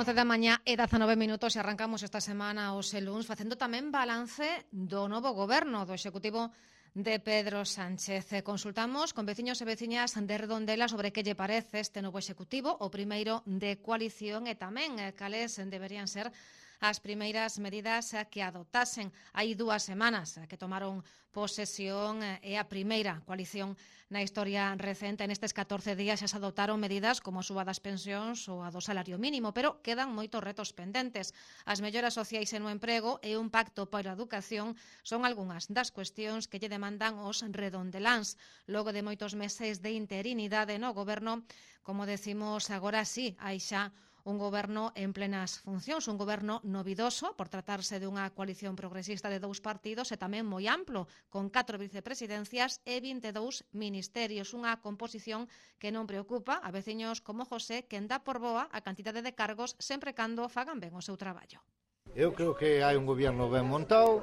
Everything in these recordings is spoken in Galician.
11 da mañá e 19 minutos e arrancamos esta semana os luns facendo tamén balance do novo goberno do Executivo de Pedro Sánchez. Consultamos con veciños e veciñas de Redondela sobre que lle parece este novo Executivo, o primeiro de coalición, e tamén cales deberían ser as primeiras medidas que adoptasen. Hai 2 semanas que tomaron posesión e a primeira coalición na historia recente. Nestes 14 días xa se adoptaron medidas como a suba das pensións ou a do salario mínimo, pero quedan moitos retos pendentes. As melloras sociais e no emprego e un pacto para a educación son algunhas das cuestións que lle demandan os redondeláns. Logo de moitos meses de interinidade no goberno, como decimos agora sí, hai xa un goberno en plenas funcións, un goberno novidoso por tratarse dunha coalición progresista de 2 partidos e tamén moi amplo, con 4 vicepresidencias e 22 ministerios, unha composición que non preocupa a veciños como José, que dá por boa a cantidade de cargos sempre cando fagan ben o seu traballo. Eu creo que hai un goberno ben montado,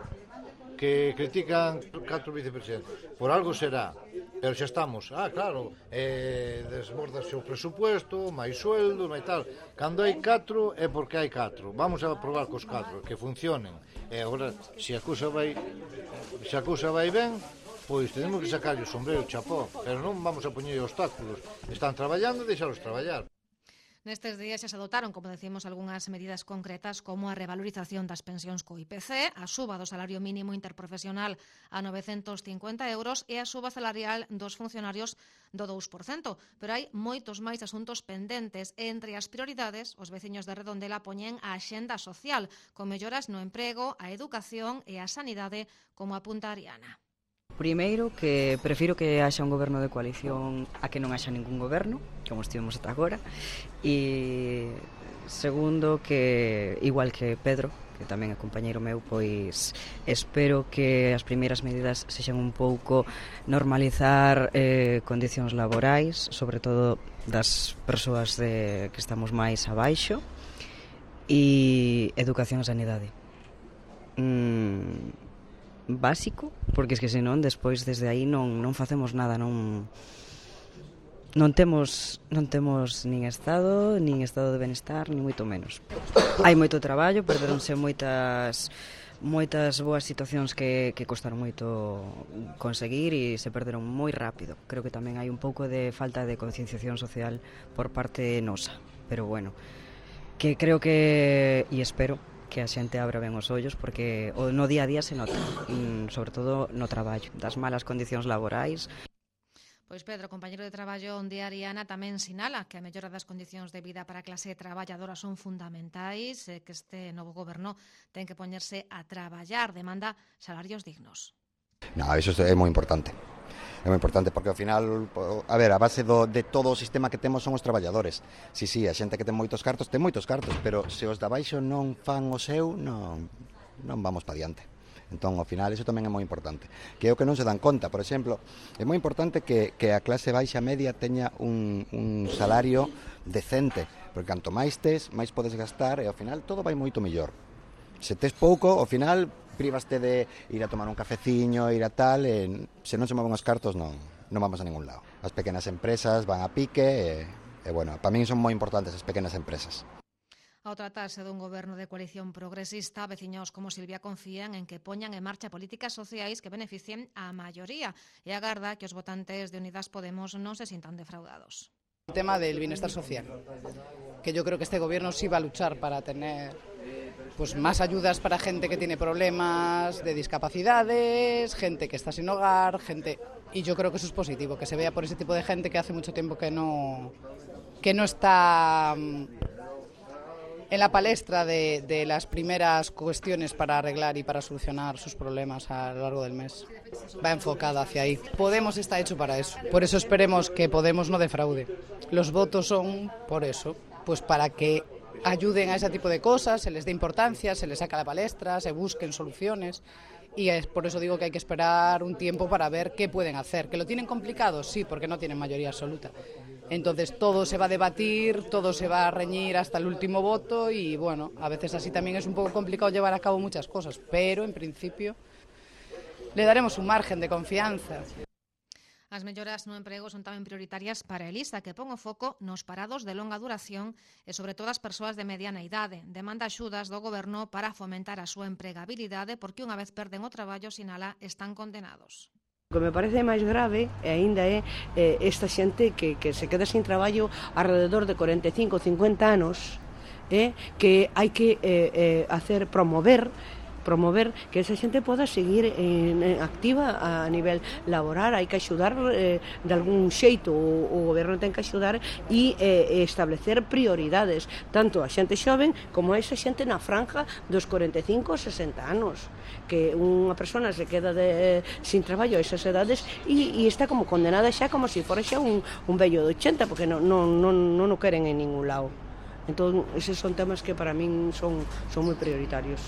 que critican 4 vicepresidentes. Por algo será. Pero xa estamos, claro, desbordase o presupuesto, máis sueldo, máis tal. Cando hai 4 é porque hai 4. Vamos a probar cos 4, que funcionen. E agora, se a cousa vai ben, pois tenemos que sacarlle o sombrero, chapó. Pero non vamos a poñer obstáculos. Están traballando e deixalos traballar. Nestes días xa se adotaron, como decimos, algunhas medidas concretas como a revalorización das pensións co IPC, a suba do salario mínimo interprofesional a 950 euros e a suba salarial dos funcionarios do 2%. Pero hai moitos máis asuntos pendentes. Entre as prioridades, os veciños de Redondela poñen a axenda social, con melloras no emprego, a educación e a sanidade, como apunta Ariana. Primeiro, que prefiro que haxa un goberno de coalición a que non haxa ningún goberno, como estivemos ata agora. E segundo, que igual que Pedro, que tamén é compañeiro meu, pois espero que as primeiras medidas sexan un pouco normalizar condicións laborais, sobre todo das persoas que estamos máis abaixo, e educación e sanidade. Básico, porque es que senón despois desde aí non facemos nada, non temos nin estado de benestar, nin moito menos. Hai moito traballo, perderonse moitas boas situacións que costaron moito conseguir e se perderon moi rápido. Creo que tamén hai un pouco de falta de concienciación social por parte nosa, pero bueno, que creo que, e espero que a xente abra ben os ollos, porque no día a día se nota, sobre todo no traballo, das malas condicións laborais. Pois Pedro, compañeiro de traballo onde Ariana, tamén sinala que a mellora das condicións de vida para a clase traballadora son fundamentais, que este novo goberno ten que poñerse a traballar, demanda salarios dignos. No, eso é moi importante. É moi importante porque ao final, a base de todo o sistema que temos son os traballadores. Si, a xente que ten moitos cartos, pero se os de abaixo non fan o seu, non vamos pa diante. Entón, ao final, iso tamén é moi importante. Que é o que non se dan conta. Por exemplo, é moi importante que a clase baixa media teña un salario decente, porque canto máis tes, máis podes gastar e ao final todo vai moito mellor. Se tes pouco, ao final privaste de ir a tomar un cafeciño, ir a tal, e se non se moven os cartos non vamos a ningún lado. As pequenas empresas van a pique e bueno, para min son moi importantes as pequenas empresas. Ao tratarse dun goberno de coalición progresista, veciños como Silvia confían en que poñan en marcha políticas sociais que beneficien á maioría e agarda que os votantes de Unidas Podemos non se sintan defraudados. El tema del bienestar social, que yo creo que este gobierno sí va a luchar para tener pues más ayudas para gente que tiene problemas de discapacidades, gente que está sin hogar, y yo creo que eso es positivo, que se vea por ese tipo de gente que hace mucho tiempo que no está en la palestra de las primeras cuestiones para arreglar y para solucionar sus problemas a lo largo del mes. Va enfocada hacia ahí. Podemos está hecho para eso. Por eso esperemos que Podemos no defraude. Los votos son por eso, pues para que ayuden a ese tipo de cosas, se les dé importancia, se les saca a la palestra, se busquen soluciones. Y es por eso digo que hay que esperar un tiempo para ver qué pueden hacer. ¿Que lo tienen complicado? Sí, porque no tienen mayoría absoluta. Entonces todo se va a debatir, todo se va a reñir hasta el último voto y bueno, a veces así también es un poco complicado llevar a cabo muchas cosas, pero en principio le daremos un margen de confianza. As melloras no emprego son tamén prioritarias para Elisa, que pon o foco nos parados de longa duración e sobre todo as persoas de mediana idade. Demanda axudas do goberno para fomentar a súa empregabilidade porque unha vez perden o traballo, sinala, están condenados. O que me parece máis grave aínda é esta xente que se queda sin traballo alrededor de 45 ou 50 anos, que hai que promover que esa xente poda seguir activa a nivel laboral. Hai que axudar de algún xeito, o goberno ten que axudar e establecer prioridades tanto a xente xoven como a esa xente na franja dos 45 ou 60 anos, que unha persona se queda sin traballo a esas edades e está como condenada xa como se fora xa un vello de 80, porque non o queren en ningún lado. Entón, eses son temas que para min son moi prioritarios.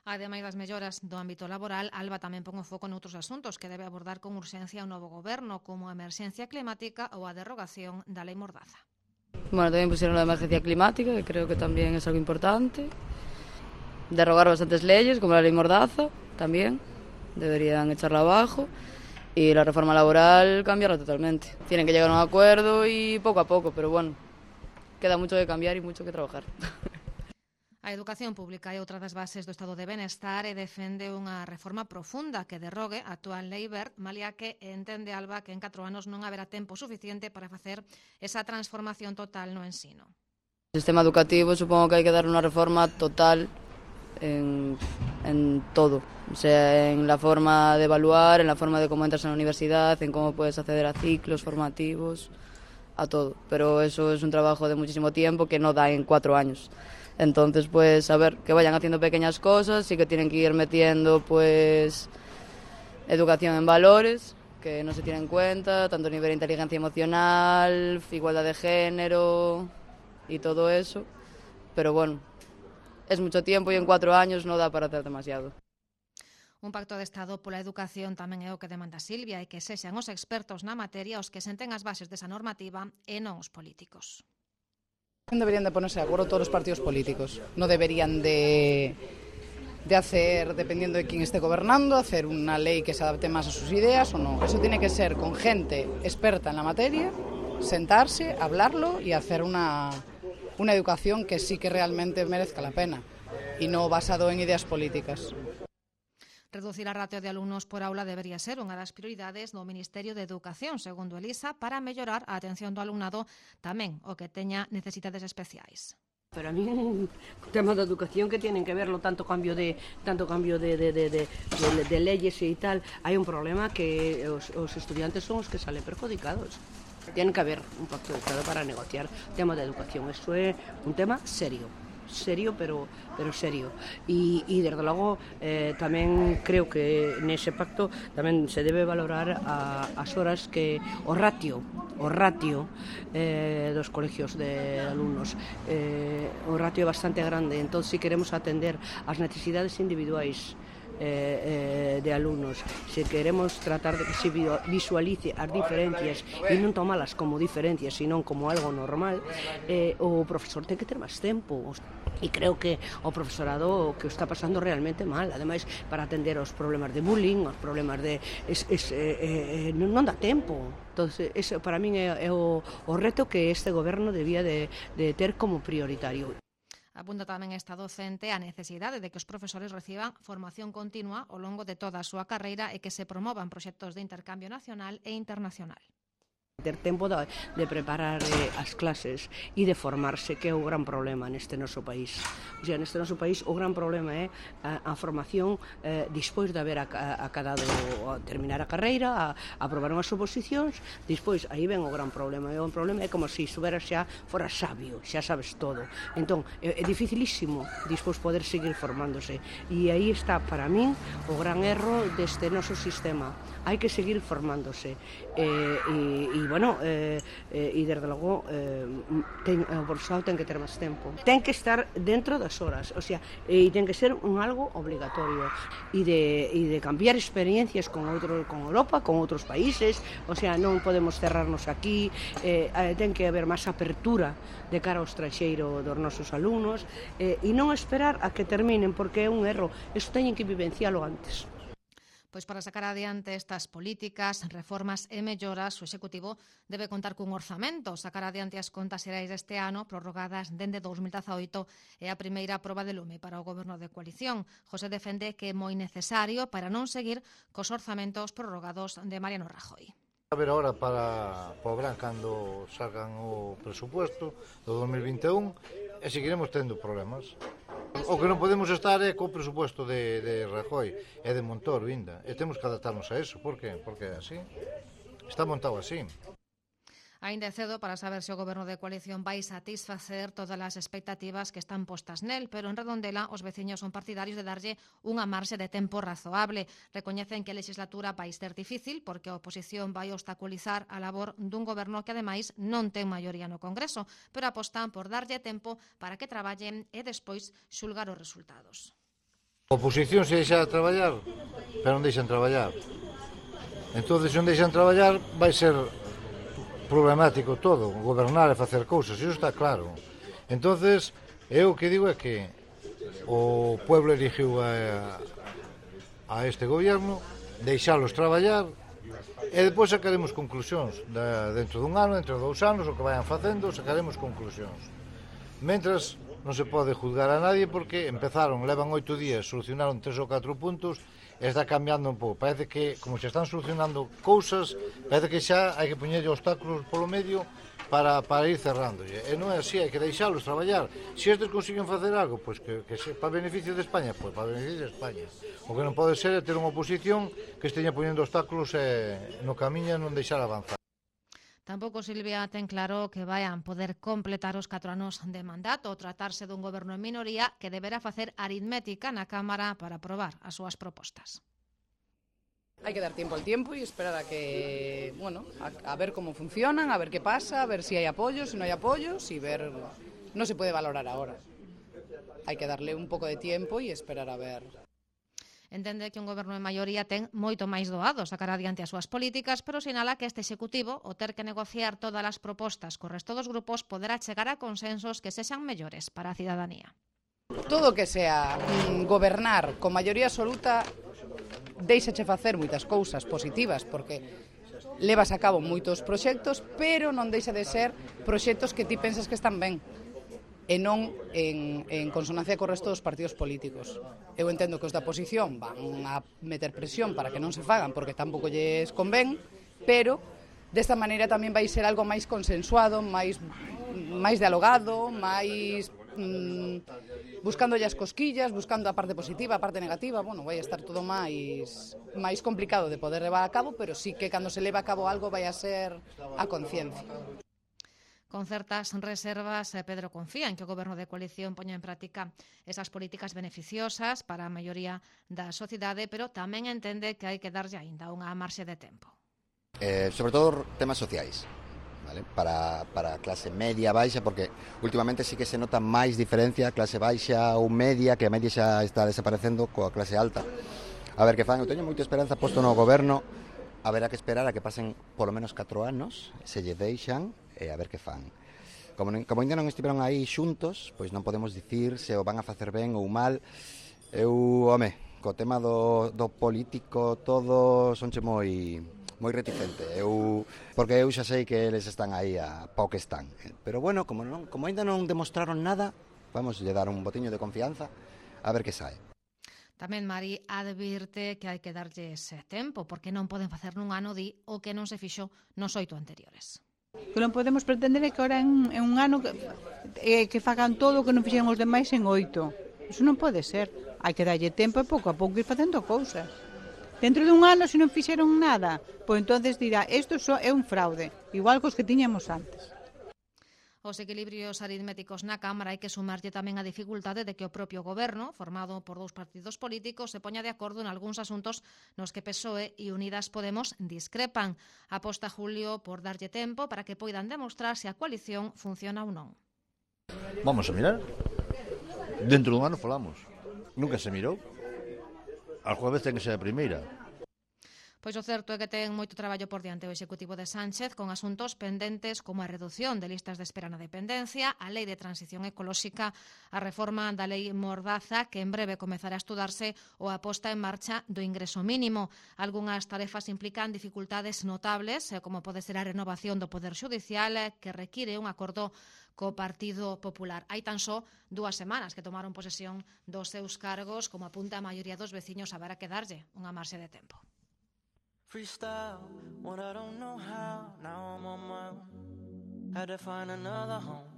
Ademais das melloras do ámbito laboral, Alba tamén pon o foco noutros asuntos que debe abordar con urxencia o novo goberno, como a emerxencia climática ou a derrogación da Lei Mordaza. Bueno, tamén pusieron la emergencia climática, que creo que tamén é algo importante. Derrogar bastantes leyes, como la Lei Mordaza, tamén. Deberían echarla abajo. Y la reforma laboral, cambiarla totalmente. Tienen que llegar a un acuerdo y poco a poco, pero bueno, queda mucho que cambiar y mucho que trabajar. A educación pública é outra das bases do Estado de Benestar e defende unha reforma profunda que derrogue a actual Lei Wert, malia que entende Alba que en 4 anos non haberá tempo suficiente para facer esa transformación total no ensino. O sistema educativo supongo que hai que dar unha reforma total en todo, o sea, en la forma de evaluar, en la forma de cómo entras en la universidad, en cómo puedes acceder a ciclos formativos, a todo, pero eso es un trabajo de muchísimo tiempo que no da en 4 años. Entonces, pues, a ver, que vayan haciendo pequeñas cosas y que tienen que ir metiendo, pues, educación en valores, que no se tienen en cuenta, tanto a nivel de inteligencia emocional, igualdad de género y todo eso. Pero bueno, es mucho tiempo y en 4 años no da para hacer demasiado. Un pacto de Estado pola educación tamén é o que demanda Silvia e que sexan os expertos na materia os que senten as bases desa normativa e non os políticos. Deberían de ponerse de acuerdo todos los partidos políticos. No deberían de hacer, dependiendo de quién esté gobernando, hacer una ley que se adapte más a sus ideas o no. Eso tiene que ser con gente experta en la materia, sentarse, hablarlo y hacer una educación que sí que realmente merezca la pena y no basado en ideas políticas. Reducir a ratio de alumnos por aula debería ser unha das prioridades do Ministerio de Educación, segundo Elisa, para mellorar a atención do alumnado tamén o que teña necesidades especiais. Pero a mí un tema da educación que tienen que verlo tanto cambio de leyes e tal, hai un problema que os estudiantes son os que salen perjudicados. Tiene que haber un pacto de Estado para negociar o tema da educación. Isto é un tema serio, pero serio. E desde logo tamén creo que nese pacto tamén se debe valorar as horas que o ratio dos colegios de alumnos. O ratio é bastante grande, entón si queremos atender as necesidades individuais de alumnos, se queremos tratar de que se visualice as diferencias e non tomalas como diferencias, sino como algo normal, o profesor ten que ter máis tempo e creo que o profesorado que o está pasando realmente mal, ademais para atender os problemas de bullying, os problemas de non dá tempo. Entonces, eso para min é o reto que este goberno debía de ter como prioritario. Apunta tamén esta docente a necesidade de que os profesores reciban formación continua ao longo de toda a súa carreira e que se promovan proxectos de intercambio nacional e internacional. Ter tempo de preparar as clases e de formarse, que é o gran problema neste noso país. O sea, neste noso país o gran problema é a formación despois de haber acabado terminar a carreira, a aprobar unhas oposicións, despois aí ven o gran problema. O problema é como se estuveras xa fora sabio, xa sabes todo. Entón, é dificilísimo despois poder seguir formándose. E aí está, para min, o gran erro deste noso sistema. Hai que seguir formándose. E desde logo o profesorado ten que ter máis tempo, ten que estar dentro das horas, o sea, e ten que ser un algo obligatorio e de cambiar experiencias con Europa, con outros países, o sea, non podemos cerrarnos aquí, ten que haber máis apertura de cara ao estranxeiro dos nosos alumnos e non esperar a que terminen, porque é un erro, iso teñen que vivencialo antes. Pois para sacar adiante estas políticas, reformas e melloras, o Executivo debe contar cun orzamento. Sacar adiante as contas xerais deste ano, prorrogadas dende 2018, é a primeira proba de lume para o Goberno de coalición. José defende que é moi necesario para non seguir cos orzamentos prorrogados de Mariano Rajoy. A ver agora para o verán cando salgan o presupuesto do 2021 e seguiremos tendo problemas. O que non podemos estar é co presupuesto de Rajoy e de Montoro ainda. E temos que adaptarnos a eso. Por qué? Porque é así. Está montado así. Aínda é cedo para saber se o Goberno de coalición vai satisfacer todas as expectativas que están postas nel, pero en Redondela os veciños son partidarios de darlle unha marxe de tempo razoable. Recoñecen que a legislatura vai ser difícil porque a oposición vai obstaculizar a labor dun goberno que ademais non ten maioría no Congreso, pero apostan por darlle tempo para que traballen e despois xulgar os resultados. A oposición se deixa traballar, pero non deixan traballar. Entón, se non deixan traballar, vai ser problemático todo, gobernar e facer cousas, iso está claro. Entonces, eu o que digo é que o pueblo eligiu a este gobierno, deixalos traballar e depois sacaremos conclusións dentro dun ano, dentro de 2 anos, o que vayan facendo, sacaremos conclusións. Mentras, non se pode juzgar a nadie porque empezaron, levan 8 días, solucionaron 3 ou 4 puntos e está cambiando un pouco. Parece que, como se están solucionando cousas, parece que xa hai que poñerlle obstáculos polo medio para ir cerrándolle. E non é así, hai que deixalos traballar. Se estes consiguen facer algo, pois que para beneficio de España, pois para beneficio de España. O que non pode ser é ter unha oposición que esteña poñendo obstáculos no camiño e non deixar avanzar. Tampouco Silvia ten claro que vayan poder completar os 4 anos de mandato ou tratarse dun goberno en minoría que deberá facer aritmética na Cámara para aprobar as súas propostas. Hay que dar tiempo al tiempo y esperar a que, bueno, a ver cómo funcionan, a ver qué pasa, a ver si hay apoyos, si no hay apoyos y ver, no se puede valorar ahora. Hay que darle un poco de tiempo y esperar a ver. Entende que un goberno en maioría ten moito máis doado sacar adiante as súas políticas, pero sinala que este Executivo, o ter que negociar todas as propostas co resto dos grupos, poderá chegar a consensos que sexan mellores para a cidadanía. Todo que sea gobernar con maioría absoluta deixache facer moitas cousas positivas, porque levas a cabo moitos proxectos, pero non deixa de ser proxectos que ti pensas que están ben e non en consonancia co resto dos partidos políticos. Eu entendo que os da oposición van a meter presión para que non se fagan porque tampouco lles convén, pero desta maneira tamén vai ser algo máis consensuado, máis dialogado, máis buscando as cosquillas, buscando a parte positiva, a parte negativa. Bueno, vai a estar todo máis complicado de poder levar a cabo, pero sí que cando se leva a cabo algo vai a ser a conciencia. Con certas reservas, Pedro confía en que o Goberno de coalición poña en práctica esas políticas beneficiosas para a maioría da sociedade, pero tamén entende que hai que darlle aínda unha marxe de tempo. Sobre todo temas sociais, ¿vale? Para a clase media baixa, porque últimamente sí que se nota máis diferencia clase baixa ou media, que a media xa está desaparecendo coa clase alta. A ver que fan, eu teño moita esperanza posto no Goberno, haberá que esperar a que pasen polo menos 4 anos, se lle deixan, e a ver que fan. Como ainda non estiveron aí xuntos, pois non podemos dicir se o van a facer ben ou mal. Eu, co tema do político todo sonche moi reticente. Porque eu xa sei que eles están aí a pau que están. Pero bueno, como ainda non demostraron nada, vamos lle dar un botiño de confianza a ver que sae. Tamén Mari advirte que hai que darlle ese tempo, porque non poden facer nun ano o que non se fixo nos 8 anteriores. Que non podemos pretender que ahora en un ano que fagan todo o que non fixeron os demais en 8. Iso non pode ser. Hai que darlle tempo e pouco a pouco ir facendo cousas. Dentro dun ano, se non fixeron nada, pois entonces dirá, isto só é un fraude, igual cos que tiñamos antes. Os equilibrios aritméticos na Cámara hai que sumarlle tamén a dificultade de que o propio Goberno, formado por 2 partidos políticos, se poña de acordo en algúns asuntos nos que PSOE e Unidas Podemos discrepan. Aposta Julio por darlle tempo para que poidan demostrar se a coalición funciona ou non. Vamos a mirar. Dentro dun ano falamos. Nunca se mirou. Al jueves ten que ser a primeira. Pois o certo é que ten moito traballo por diante o Executivo de Sánchez con asuntos pendentes como a reducción de listas de espera na dependencia, a Lei de Transición Ecolóxica, a reforma da Lei Mordaza, que en breve comezará a estudarse, ou a posta en marcha do ingreso mínimo. Algunhas tarefas implican dificultades notables, como pode ser a renovación do Poder Xudicial, que require un acordo co Partido Popular. Hai tan só 2 semanas que tomaron posesión dos seus cargos, como apunta a maioría dos veciños, haberá que darlle unha marxe de tempo. Freestyle, what I don't know how, now I'm on my own. Had to find another home,